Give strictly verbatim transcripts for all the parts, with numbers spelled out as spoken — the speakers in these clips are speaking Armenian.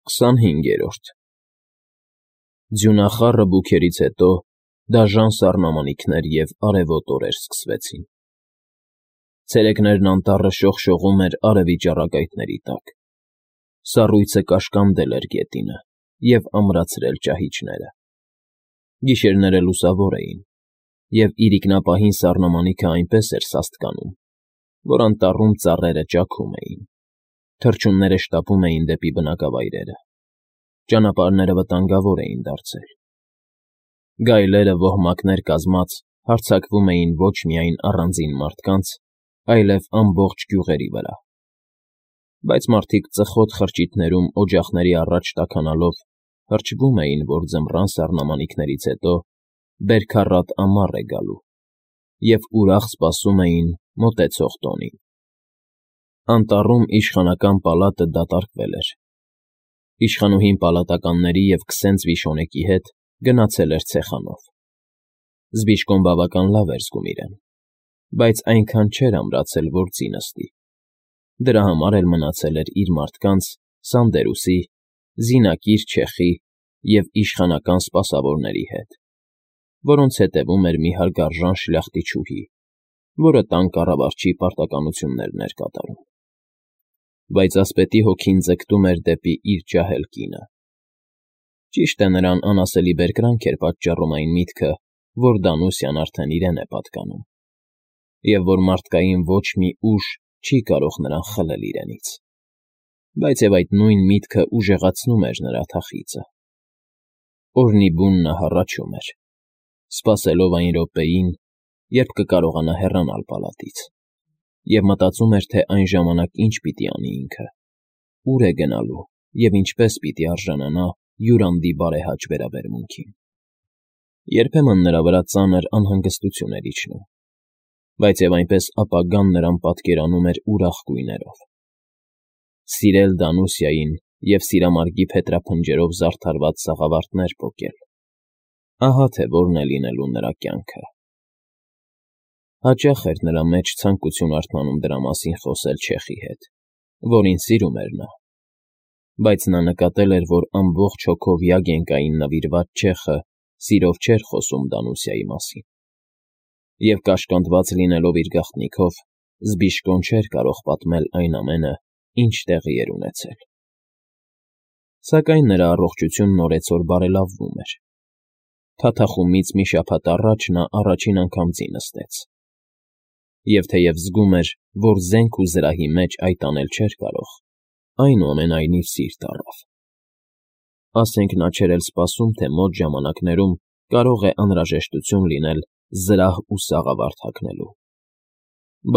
Քսանհինգերորդ Ձյունախառը բուքերից հետո դաժան սառնամանիքներ և արևոտ օրեր սկսվեցին. ցերեկներն անտառը շողշողում էր արևի ճառագայթների տակ, սառույցը կաշկանդել էր գետինը և ամրացրել ճահիճները, գիշերները լուսավոր էին, և իրիկնապահին սառնամանիքը այնպես էր սաստկանում, որ անտառում ծառերը ճաքում էին, թռչունները շտապում էին դեպի բնակավայրերը, ճանապարհները վտանգավոր էին դարձել, գայլերը ոհմակներ կազմած հարձակվում էին ոչ միայն առանձին մարդկանց, այլև ամբողջ գյուղերի վրա, բայց մարդիկ ծխոտ խրճիթներում օջախների առաջ տաքանալով հրճվում էին, որ ձմռան սառնամանիքներից հետո բերքառատ ամառ է գալու, և ուրախ սպասում էին մոտեցող տոնին. Անտառում իշխանական պալատը դատարկվել էր, իշխանուհին պալատականների և քսենց վիշոնեկի հետ գնացել էր ցեխանով, Զբիշկոն բավական լավ էր զգում իրեն, բայց այնքան չէր ամրացել, որ ձի նստի, դրա համար էլ մնացել էր իր մարդկանց Սանդերուսի, զինակիր չեխի և իշխանական սպասավորների հետ, որոնց հետևում էր մի հարգարժան շլյախտիչուհի, որը տան կառավարչի պարտականություններն էր կատարում, բայց ասպետի հոգին ձգտում էր դեպի իր ջահել կինը, ճիշտ է նրան անասելի բերկրանք էր պատճառում այն միտքը, որ Դանուսյան արդեն իրեն է պատկանում, և որ մարդկային ոչ մի ուժ չի կարող նրան խլել իրենից, բայց և այդ նույն միտքը ուժեղացնում էր նրա թախիծը, օրհնի բուն նա հառաչում էր, սպասելով այն րոպեին, երբ կկարողանա հեռանալ պալատից, և մտածում էր, թե այն ժամանակ ինչ պիտի անի ինքը, ուր է գնալու և ինչպես պիտի արժանանա յուրանդի բարեհաճ վերաբերմունքին. երբեմն նրա վրա ծանր անհանգստություն էր իջնում, բայց և այնպես ապագան նրան պատկերանում էր ուրախ գույներով. սիրել Դանուսիային և սիրամարգի փետրափնջերով զարդարված սաղավարտներ պոկել, ահա թե որն է լինելու նրա կյանքը. հաճախ էր նրա մեջ ցանկություն արթնանում դրա մասին խոսել չեխի հետ, որին սիրում էր նա, բայց նա նկատել էր, որ ամբողջ հոգով Յագենկային նվիրված չեխը սիրով չէր խոսում Դանուսիայի մասին, և կաշկանդված լինելով իր գաղտնիքով, Զբիշկոն չէր կարող պատմել այն ամենը, ինչ տեղի էր ունեցել, սակայն նրա առողջությունն օրեցօր բարելավվում էր, թաթախումից մի շաբաթ առաջ նա առաջին անգամ ձի նստեց, և թեև զգում էր, որ զենք ու զրահի մեջ այդ անել չէր կարող, այնուամենայնիվ սիրտ առավ, ասենք նա չէր էլ սպասում, թե մոտ ժամանակներում կարող է անհրաժեշտություն լինել զրահ ու սաղավարտ հագնելու,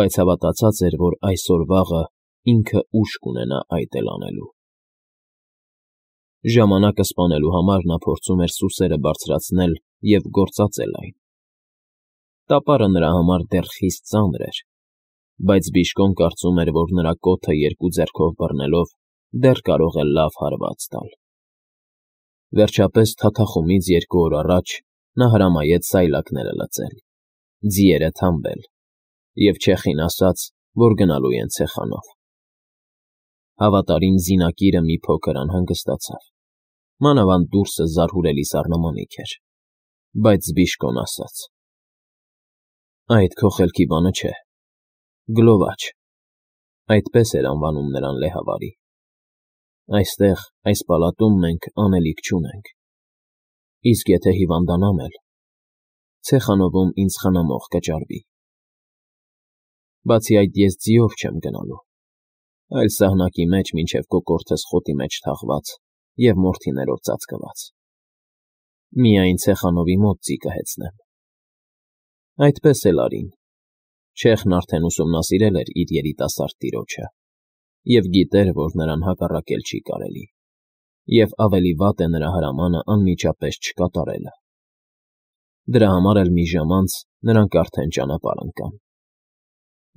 բայց հավատացած էր, որ այսօր֊վաղը ինքը ուժ կունենա այդ էլ անելու, ժամանակը սպանելու համար նա փորձում էր սուսերը բարձրացնել և գործածել այն, տապարը նրա համար դեռ խիստ ծանր էր, բայց Զբիշկոն կարծում էր, որ նրա կոթը երկու ձեռքով բռնելով դեռ կարող է լավ հարված տալ, վերջապես թաթախումից երկու օր առաջ նա հրամայեց սայլակները լծել, ձիերը թամբել և չեխին ասաց, որ գնալու են ցեխանով, հավատարիմ զինակիրը մի փոքր անհանգստացավ, մանավանդ դուրսը զարհուրելի սառնամանիք էր, բայց Զբիշկոն ասաց. Այդ քո խելքի բանը չէ, Գլովաչ, այդպես էր անվանում նրան լեհավարի, այստեղ, այս պալատում մենք անելիք չունենք, իսկ եթե հիվանդանամ էլ, ցեխանովում ինձ խնամող կճարվի, բացի այդ ես ձիով չեմ գնալու, այլ սահնակի մեջ մինչև կոկորդս խոտի մեջ թաղված և մորթիներով ծածկված, միայն ցեխանովի մոտ ձի կհեծնեմ, այդպես էլ արին, չեխն արդեն ուսումնասիրել էր իր երիտասարդ տիրոջը և գիտեր, որ նրան հակառակել չի կարելի, և ավելի վատ է նրա հրամանը անմիջապես չկատարելը, դրա համար էլ մի ժամ անց նրանք արդեն ճանապարհ ընկան,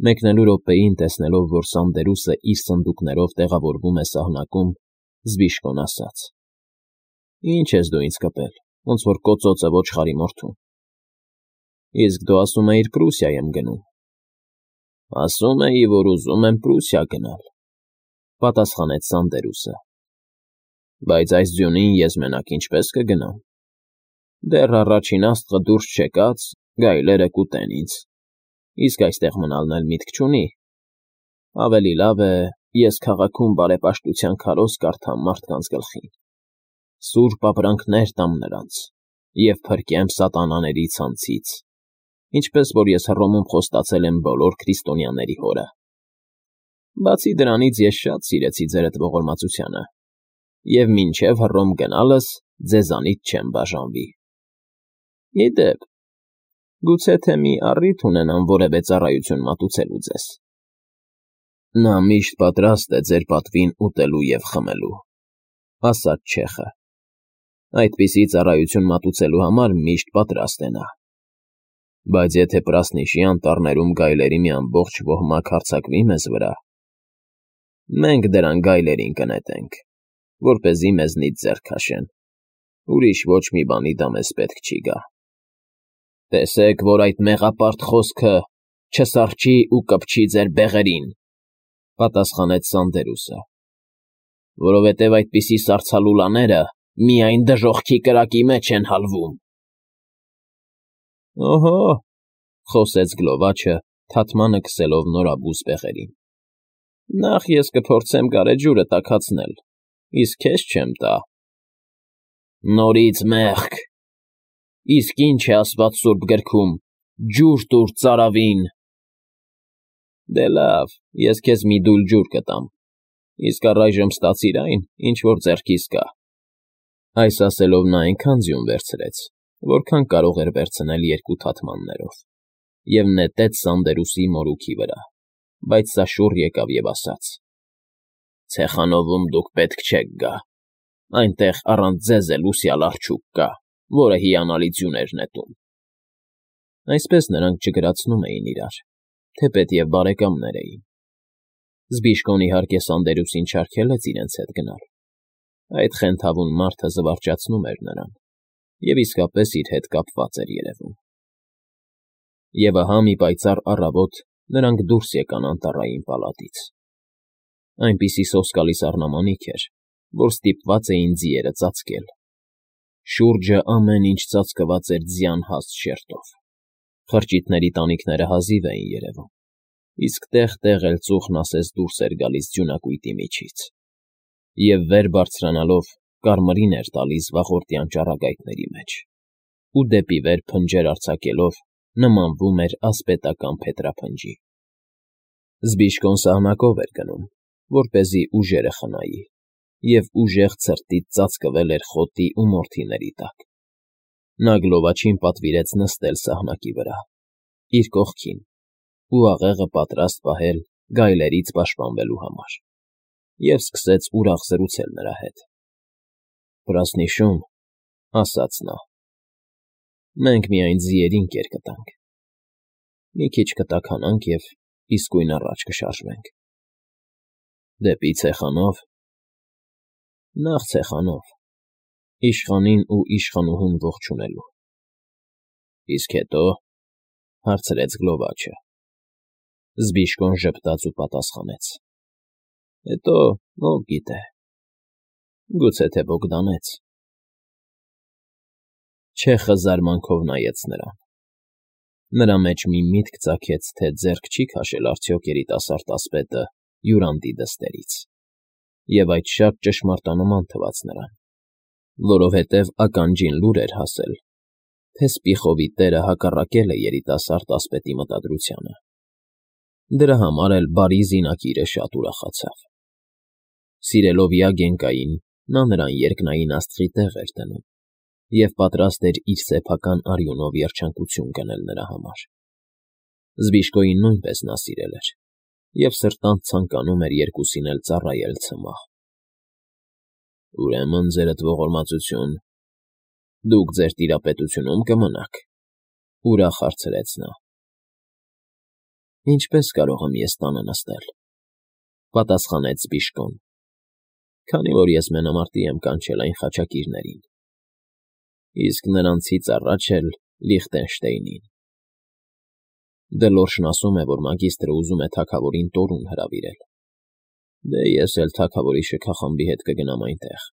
մեկնելու րոպեին տեսնելով, որ Սանդերուսը իր սնդուկներով տեղավորվում է սահնակում, Զբիշկոն ասաց. Ինչ ես դու ինձ կպել, ոնց որ կոծոցը ոչխարի մորթուն, իսկ դու ասում էիր Պրուսիա եմ գնում, ասում էի, որ ուզում եմ Պրուսիա գնալ, պատասխանեց Սանդերուսը, Բայց այս ձյունին ես մենակ ինչպես կգնամ։ Դեռ առաջին աստղը դուրս չեկած, գայլերը կուտեն ինձ, իսկ այստեղ մնալն էլ միտք չունի։ Ավելի լավ է, ես քաղաքում բարեպաշտության քարոզ կարդամ մարդկանց գլխին, սուրբ ապրանքներ տամ նրանց և փրկեմ սատանաների ցանցից, ինչպես որ ես Հռոմում խոստացել եմ բոլոր քրիստոնյաների հորը։ Բացի դրանից ես շատ սիրեցի ձերդ ողորմածությանը, և մինչև Հռոմ գնալս ձեզանից չեմ բաժանվի։ Ի դեպ, գուցե թե մի առիթ ունենամ որևէ ծառայություն մատուցելու ձեզ։ Նա միշտ պատրաստ է ձեր պատվին ուտելու և խմելու, ասաց չեխը։ Այդպիսի ծառայություն մատուցելու համար միշտ պատրաստ է նա։ Բայց եթե Պրասնիշի անտառներում գայլերի մի ամբողջ ոհմակ հարձակվի մեզ վրա, մենք դրան գայլերին կնետենք, որպեսզի մեզնից ձեռք քաշեն, ուրիշ ոչ մի բանի դա մեզ պետք չի գա։ Տեսեք, որ այդ մեղապարտ խոսքը չսառչի ու կպչի ձեր բեղերին, պատասխանեց Սանդերուսը, որովհետև այդպիսի սառցալուլաները միայն դժոխքի կրակի մեջ են հալվում։ Օհո, խոսեց գլովաչը, թաթմանը քսելով նորաբույս բեղերին։ Նախ ես կփորձեմ գարեջուրը տաքացնել, իսկ քեզ չեմ տա։ Նորից մեղք, իսկ ինչ է ասված սուրբ գրքում, ջուր տուր ծարավին։ Դե լավ, ես քեզ մի դույլ ջուր կտամ, իսկ առայժմ ստացիր այն, ինչ որ ձեռքիս կա։ Այս ասելով նա այնքան ձյուն վերցրեց, որքան կարող էր վերցնել երկու թաթմաններով, և նետեց Սանդերուսի մորուքի վրա, բայց սա շուռ եկավ և ասաց. Ցեխանովում դուք պետք չեք գա, այնտեղ առանց ձեզ էլ ուսյալ աղջուկ կա, որը հիանալի ձյուն էր նետում։ Այսպես նրանք չգրացնում էին իրար, թեպետ և բարեկամներ էին։ Զբիշկոն իհարկե Սանդերուսին չարգելեց իրենց հետ գնալ։ Այդ խենթավուն մարդը զվարճացնում էր նրան և իսկապես իր հետ կապված էր երևում։ Եվ ահա մի պայծառ առավոտ նրանք դուրս եկան անտառային պալատից։ Այնպիսի սոսկալի սառնամանիք էր, որ ստիպված էին ձիերը ծածկել։ Շուրջը ամեն ինչ ծածկված էր ձյան հաստ շերտով։ Խրճիթների տանիքները հազիվ էին երևում, իսկ տեղ֊տեղ էլ ծուխն ասես դուրս էր գալիս ձյունակույտի միջից, և վեր բարձրանալով կարմիրին էր տալիս վաղորդյան ճառագայթների մեջ, ու դեպի վեր փնջեր արձակելով նմանվում էր ասպետական փետրափնջի։ Զբիշկոն սահնակով էր գնում, որպեսզի ուժերը խնայի, և ուժեղ ցրտից ծածկվել էր խոտի ու մորթիների տակ։ Նա գլովաչին պատվիրեց նստել սահնակի վրա, իր կողքին, ու աղեղը պատրաստ պահել գայլերից պաշտպանվելու համար, և սկսեց ուրախ զրուցել նրա հետ։ Պրասնիշում, ասաց նա, մենք միայն ձիերին կեր կտանք, մի քիչ կտաքանանք և իսկույն առաջ կշարժվենք։ Դեպի Ցեխանով։ Նախ Ցեխանով, իշխանին ու իշխանուհուն ողջունելու։ Իսկ հետո, հարցրեց գլովաչը։ Զբիշկոն ժպտաց ու պատասխանեց. Հետո, ով գիտե, գուցե թե Բոգդանեց։ Չեխը զարմանքով նայեց նրան։ Նրա մեջ մի միտք ծագեց, թե ձեռք չի քաշել արդյոք երիտասարդ ասպետը Յուրանդի դստերից, և այդ շատ ճշմարտանման թվաց նրան, որովհետև ականջին լուր էր հասել, թե Սպիխովի տերը հակառակել է երիտասարդ ասպետի մտադրությանը։ Դրա համար էլ բարի զինակիրը շատ ուրախացավ։ Սիրելով Յագենկային, նա նրան երկնային աստղի տեղ էր դնում և պատրաստ էր իր սեփական արյունով երջանկություն գնել նրա համար։ Զբիշկոյին նույնպես նա սիրել էր և սրտանց ցանկանում էր երկուսին էլ ծառայել ցմահ։ Ուրեմն, ձերդ ողորմածություն, դուք ձեր տիրապետությունում կմնաք, ուրախ հարցրեց նա։ Ինչպե՞ս կարող եմ ես տանը նստել, պատասխանեց Զբիշկոն, քանի որ ես մենամարտի եմ կանչել այն խաչակիրներին, իսկ նրանցից առաջ էլ Լիխտենշտեյնին։ Դլորշն ասում է, որ մագիստրը ուզում է թագավորին տորուն հրավիրել։ Դե ես էլ թագավորի շքախմբի հետ կգնամ այնտեղ,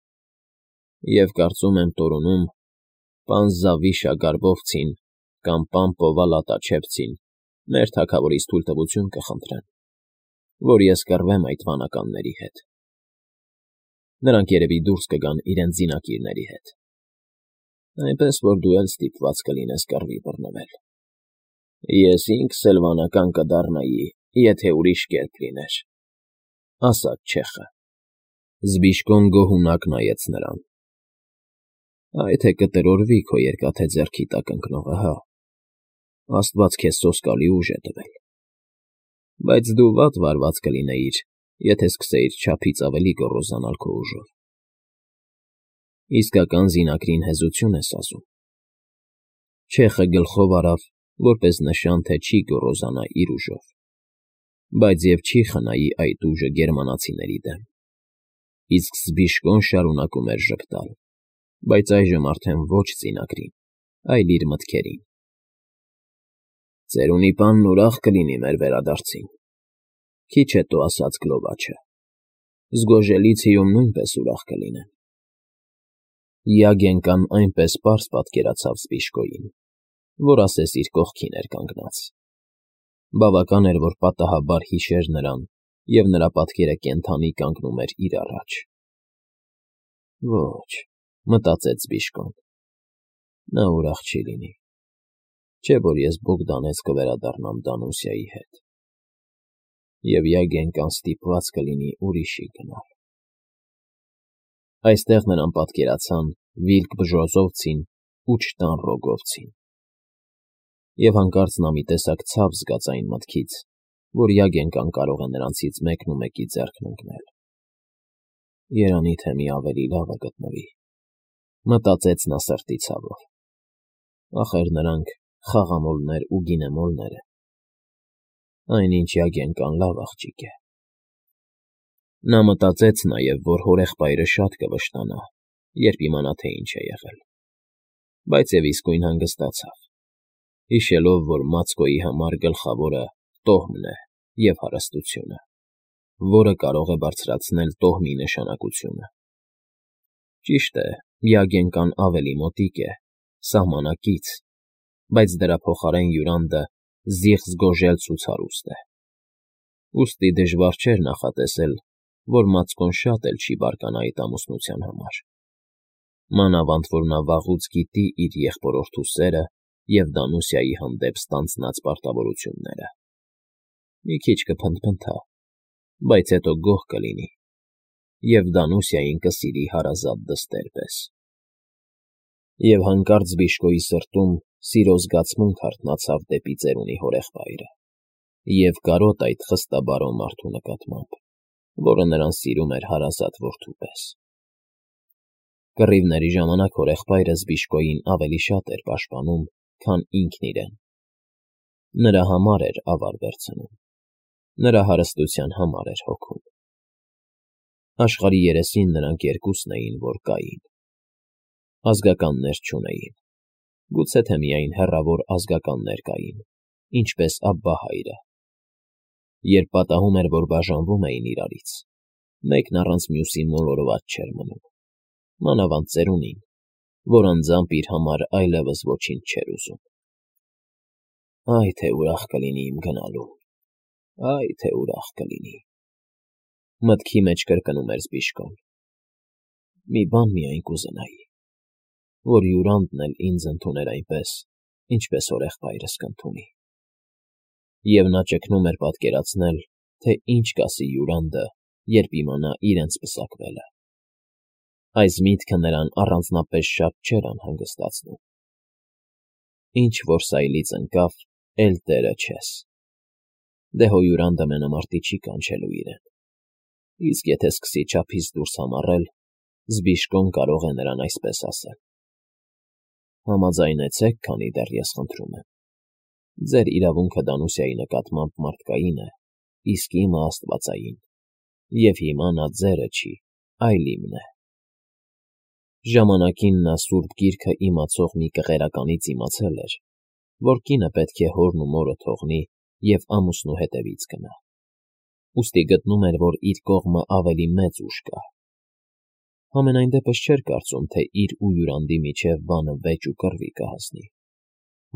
Եվ կարծում եմ Տորունում պան Զավիշա Գարբովցին կամ պան Պովալա Տաչևցին մեր թագավորից թույլտվություն կխնդրեն, որ ես կռվեմ այդ վանականների հետ. նրանք երևի դուրս կգան իրենց զինակիրների հետ, այնպես որ դու էլ ստիպված կլինես կռվի բռնվել։ Ես ինքս էլ վանական կդառնայի, եթե ուրիշ կերպ լիներ, ասաց չեխը։ Զբիշկոն գոհունակ նայեց նրան։ Այ թե կտրորվի քո երկաթե ձեռքի տակ ընկնողը, հա, աստված քեզ սոսկալի ուժ է տվել, բայց դու վատ վարված կլինեիր, եթե սկսեիր չափից ավելի գոռոզանալ քո ուժով։ Իսկական զինակրին հեզություն ես ասում։ Չեխը գլխով արավ, որպես նշան, թե չի գոռոզանա իր ուժով, բայց և չի խնայի այդ ուժը գերմանացիների դեմ։ Իսկ Զբիշկոն շարունակում էր ժպտալ, բայց այժմ արդեն ոչ զինակրին, այլ իր մտքերին։ Ծերունի պանն ուրախ կլինի մեր վերադարձին, քիչ հետո ասաց Գլովաչը, Զգոժելիցիում նույնպես ուրախ կլինեն։ Յագենկան այնպես պարզ պատկերացավ Զբիշկոյին, որ ասես իր կողքին էր կանգնած։ Բավական էր, որ պատահաբար հիշեր նրան, և նրա պատկերը կենդանի կանգնում էր իր առաջ։ Ոչ, մտածեց Զբիշկոն, նա ուրախ չի լինի, չէ՞ որ ես Բոգդանեց կվերադառնամ Դանուսիայի հետ, և Յագենկան ստիպված կլինի ուրիշի գնալ։ Այստեղ նրան պատկերացան Վիլկ Բժոզովցին ու Չտան Ռոգովցին, և հանկարծ նա մի տեսակ ցավ զգաց այն մտքից, որ Յագենկան կարող է նրանցից մեկն ու մեկի ձեռքն ընկնել։ Երանի թե մի ավելի լավը գտնվի, մտածեց նա սրտի ցավով։ Ախր նրանք խաղամոլներ ու գինեմոլներ են, այնինչ Յագենկան լավ աղջիկ է։ Նա մտածեց նաև, որ հորեղբայրը շատ կվշտանա, երբ իմանա, թե ինչ է եղել, բայց և իսկույն հանգստացավ, հիշելով, որ Մացկոյի համար գլխավորը տոհմն է և հարստությունը, որը կարող է բարձրացնել տոհմի նշանակությունը։ Ճիշտ է, Յագենկան ավելի մոտիկ է, սահմանակից, բայց դրա փոխարեն Յուրանդը զիղձ-գոժելց ու ցարուստ է։ Ուստի դժվար չէր նախատեսել, որ Մացկոն շատ էլ չի բարկանա այդ ամուսնության համար, մանավանդ որ նա վաղուց գիտի իր եղբորորդու սերը և Դանուսիայի հանդեպ ստանձնած պարտավորությունները։ Մի քիչ կփնթփնթա, բայց հետո գոհ կլինի և Դանուսիային կսիրի հարազատ դստեր պես։ Եվ հանկարծ Զբիշկոյի սրտում սիրո զգացմունք հարթնացավ դեպի ծերունի հորեղբայրը և կարոտ այդ խստաբարո մարդու նկատմամբ, որը նրան սիրում էր հարազատ որդու պես։ Կռիվների ժամանակ հորեղբայրը Զբիշկոյին ավելի շատ էր պաշտպանում, քան ինքն իրեն։ Նրա համար էր ավար վերցնում, նրա հարստության համար էր հոգում։ Աշխարհի երեսին նրանք երկուսն էին, որ կային։ Ազգականներ չունեին, գուցե թե միայն հեռավոր ազգականներ կային, ինչպես Աբբահայրը։ Երբ պատահում էր, որ բաժանվում էին իրարից, մեկն առանց մյուսի մոլորված չէր մնում, մանավանդ ծերունին, որ անձամբ իր համար այլևս ոչինչ չէր ուզում։ Այ թե ուրախ կլինի իմ գնալու, այ թե ուրախ կլինի, մտքի մեջ կրկնում էր Զբիշկոն։ Մի բան միայն կուզենայի, որ Յուրանդն էլ ինձ ընդուներ այնպես, ինչպես հորեղբայրս կընդունի։ Եվ նա ճգնում էր պատկերացնել, թե ինչ կասի Յուրանդը, երբ իմանա իրենց պսակվելը։ Այս միտքը նրան առանձնապես շատ չէր անհանգստացնում։ Ինչ որ սայլից ընկավ, էլ տերը չես։ Դե հո Յուրանդը մենամարտի չի կանչելու իրեն, իսկ եթե սկսի չափից դուրս համառել, Զբիշկոն կարող է նրան այսպես ասել. Համաձայնեցեք, քանի դեռ ես խնդրում եմ։ Ձեր իրավունքը Դանուսիայի նկատմամբ մարդկային է, իսկ իմը աստվածային, և հիմա նա ձերը չի, այլ իմն է։ Ժամանակին նա Սուրբ Գիրքը իմացող մի կղերականից իմացել էր, որ կինը պետք է հորն ու մորը թողնի և ամուսնու հետևից գնա։ Ուստի գտնում էր, որ իր կողմը ավելի մեծ ուժ կա։ Համենայն դեպս չէր կարծում, թե իր ու Յուրանդի միջև բանը վեճ ու կռվի կհասնի,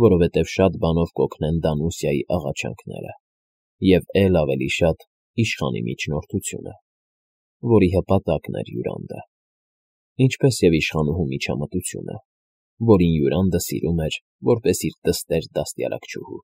որովհետև շատ բանով կօգնեն Դանուսիայի աղաչանքները և էլ ավելի շատ իշխանի միջնորդությունը, որի հպատակն էր Յուրանդը, ինչպես և իշխանուհու միջամտությունը, որին Յուրանդը սիրում էր որպես իր տստեր դաստիարակչուհու։